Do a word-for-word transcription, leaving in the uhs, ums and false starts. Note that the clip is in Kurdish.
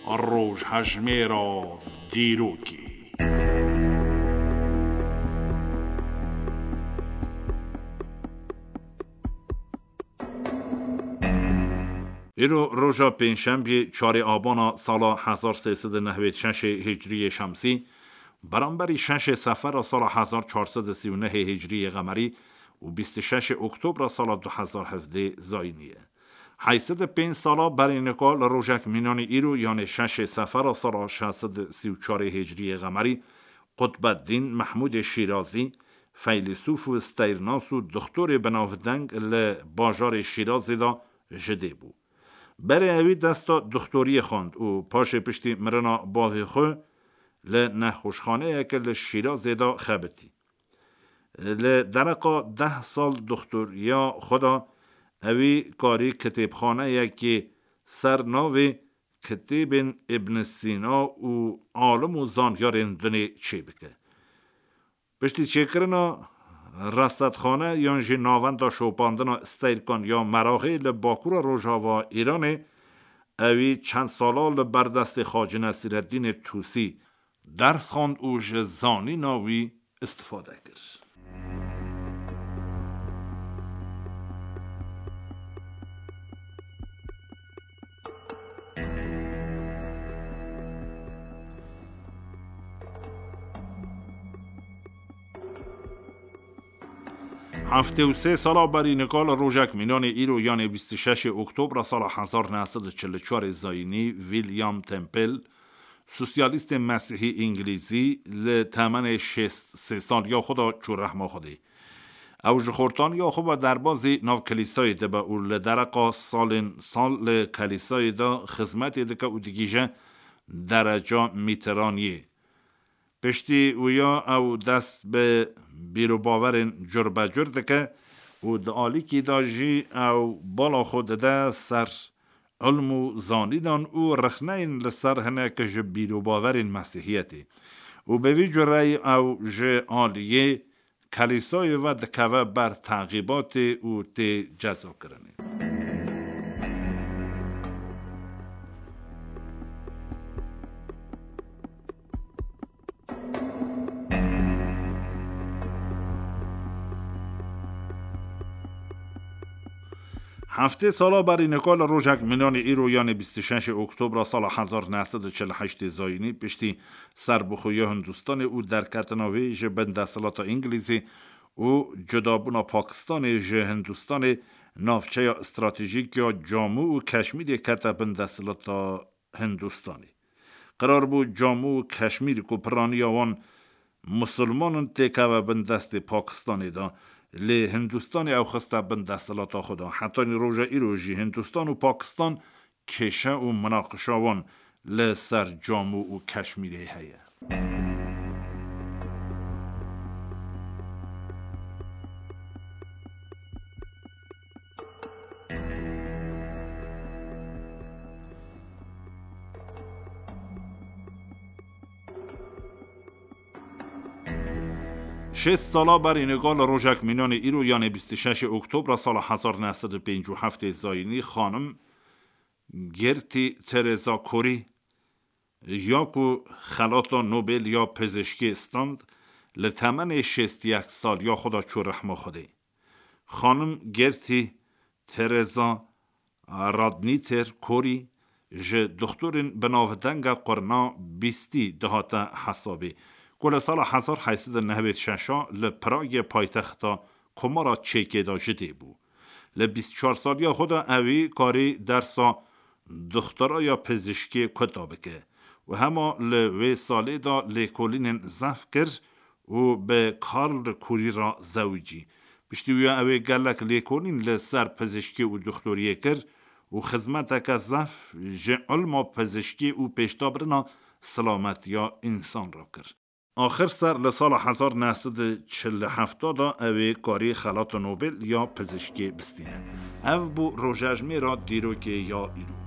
Rojhejmêra dîrokê. Îro roja pêncşembiyê, çarê abana sala hezar sê sed û nehwêd şeşê hicriyê şemsî, beramberî şeşê sefera sala hezar çar sed û sî û nehê hicriyê qemerî û bîst û şeşê oktobra sala du hezar hevdê zayînî ye. Heyşt sed û pênc sala berî nika li rojek mînanî îro, yanê şeşê sefera sala şeş sed û sî û çarê hicriyê qemerî, Qutbeddîn Mehmûdê Şîrazî, feylesûf û steyrnas û doxtorê binavdeng li bajarê Şîrazê de ji dê bû. Berê ewî desta doxtoriyê xwend û paşê piştî mirina bavê xwe li nexweşxaneyeke li Şîrazê de xebitî. Li dereqa deh sal doxtoriya xwe de ewî karî kitêbxaneyekê ser navê Kitêbên Ibn Sîna û alim û zanyarên dinê çêbike. Piştî çêkirina resedxane yan jî navenda şopandina steyrkan ya Meraxê li bakura rojava Îranê, ewî çend sala li ber destê Xacî Nesîreddînê Tûsî ders xwend û ji zanîna wî istifade kir. Heftê û sê sala berî nika li rojek mînanê îro, yanê bîst û şeşê oktobra sala hezar neh sed û çil û çarê zayînî, William Temple, sosyalîstê mesîhî îngilîzî, li temenê şêst sê saliya xwe de çû rehma Xwedê. Ew ji xortaniya xwe ve derbazî nav kilîsayê dibe û li dereqa salên sal li kilîsayê de xizmetê dike û digihîje dereca mîtiraniyê. Piştî wîya ew dest bi bîrobawerên curbecur dike û di alîkî de jî ew bala xwe dide ser ilm û zanînan û rexneyên li ser hinek ji bîrobawerên Mesîhiyetê û bi vî cureyî ew ji aliyê Kelîsayê ve dikeve ber teqîbatê û tê cezakirinê. Heftê sala berî nika li rojek mînanê îro, yanê bîst û şeşê oktobra sala hezar neh sed û çil û heştê zayînî, piştî serbixweya Hindistanê û derketina wê ji bin desthilata Îngilîzê û cudabûna Pakistanê ji Hindistanê, navçeya stratejîk ya Camû û Keşmîrê kete bin desthilata Hindistanê. Qerar bû Camû û Keşmîr ku piraniya wan musulman in têkeve bin destê Pakistanê de, lê Hindistanê ew xiste bin desthilata xwe de. Hetanî roja îro jî Hindistan û Pakistan kêşe û minaqişa wan li ser Camû û Keşmîrê heye. Şêst sala berî nika li rojek mînanê îro, yanê bîst û şeşê oktobra sala hezar neh sed û pêncî û heftê zayînî, xanim Gertî Tereza Corey, ya ku xelata Nobel ya pizişkê stand, li temenê şêst û yek saliya xwe de çû rehma Xwedê. Xanim Gertî Tereza Radnîter Corey ji doxtorên binavdenga qurna bîstî dihate hesabê, ku li sala hezar heyt sed û nehwêd şeş a li Pragê, paytexta Komara Çekê de ji dê bû. Li bîst û çar saliya xwe de ewî karî dersa doxtoraya pizişkê kuta bike û hema li wê salê de lêkolînên zehf kir û bi Karl Kurî re zewicî. Piştî wîya ewê gelek lêkolîn li ser pizişkî û doxtoriyê kir û xizmeteke zehf ji ilma pizişkî û pêşdabirina silametiya însan re kir. Axir ser li sala hezar neh sed û çil û heft de ewê karî xelata Nobel ya pizişkê bistîne. Ev bû rojejmêra dîrokê ya îro.